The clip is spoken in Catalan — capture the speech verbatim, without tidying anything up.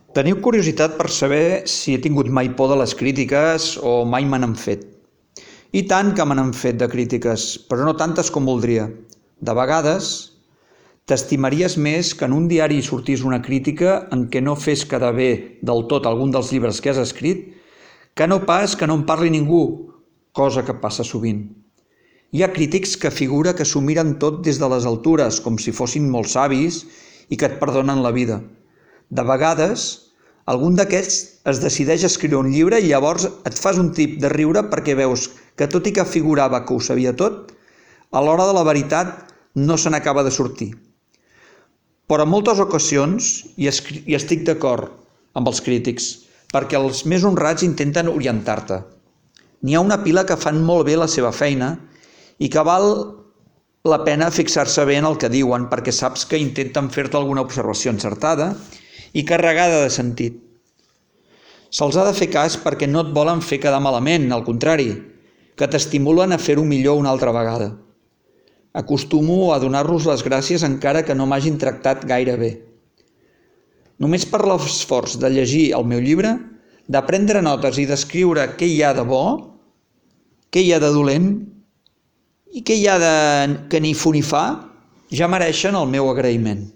Teniu curiositat per saber si he tingut mai por de les crítiques o mai me n'han fet. I tant que me n'han fet de crítiques, però no tantes com voldria. De vegades, t'estimaries més que en un diari sortís una crítica en què no fes quedar bé del tot algun dels llibres que has escrit, que no pas que no en parli ningú, cosa que passa sovint. Hi ha crítics que figura que s'ho miren tot des de les altures, com si fossin molt savis i que et perdonen la vida. De vegades, algun d'aquests es decideix a escriure un llibre i llavors et fas un tip de riure perquè veus que tot i que figurava que ho sabia tot, a l'hora de la veritat no se n'acaba de sortir. Però en moltes ocasions hi estic d'acord amb els crítics, perquè els més honrats intenten orientar-te. N'hi ha una pila que fan molt bé la seva feina i que val la pena fixar-se bé en el que diuen perquè saps que intenten fer-te alguna observació encertada i carregada de sentit. Se'ls ha de fer cas perquè no et volen fer quedar malament, al contrari, que t'estimulen a fer-ho millor una altra vegada. Acostumo a donar-los les gràcies encara que no m'hagin tractat gaire bé. Només per l'esforç de llegir el meu llibre, de prendre notes i d'escriure què hi ha de bo, què hi ha de dolent i què hi ha de que ni fu ni fa, ja mereixen el meu agraïment.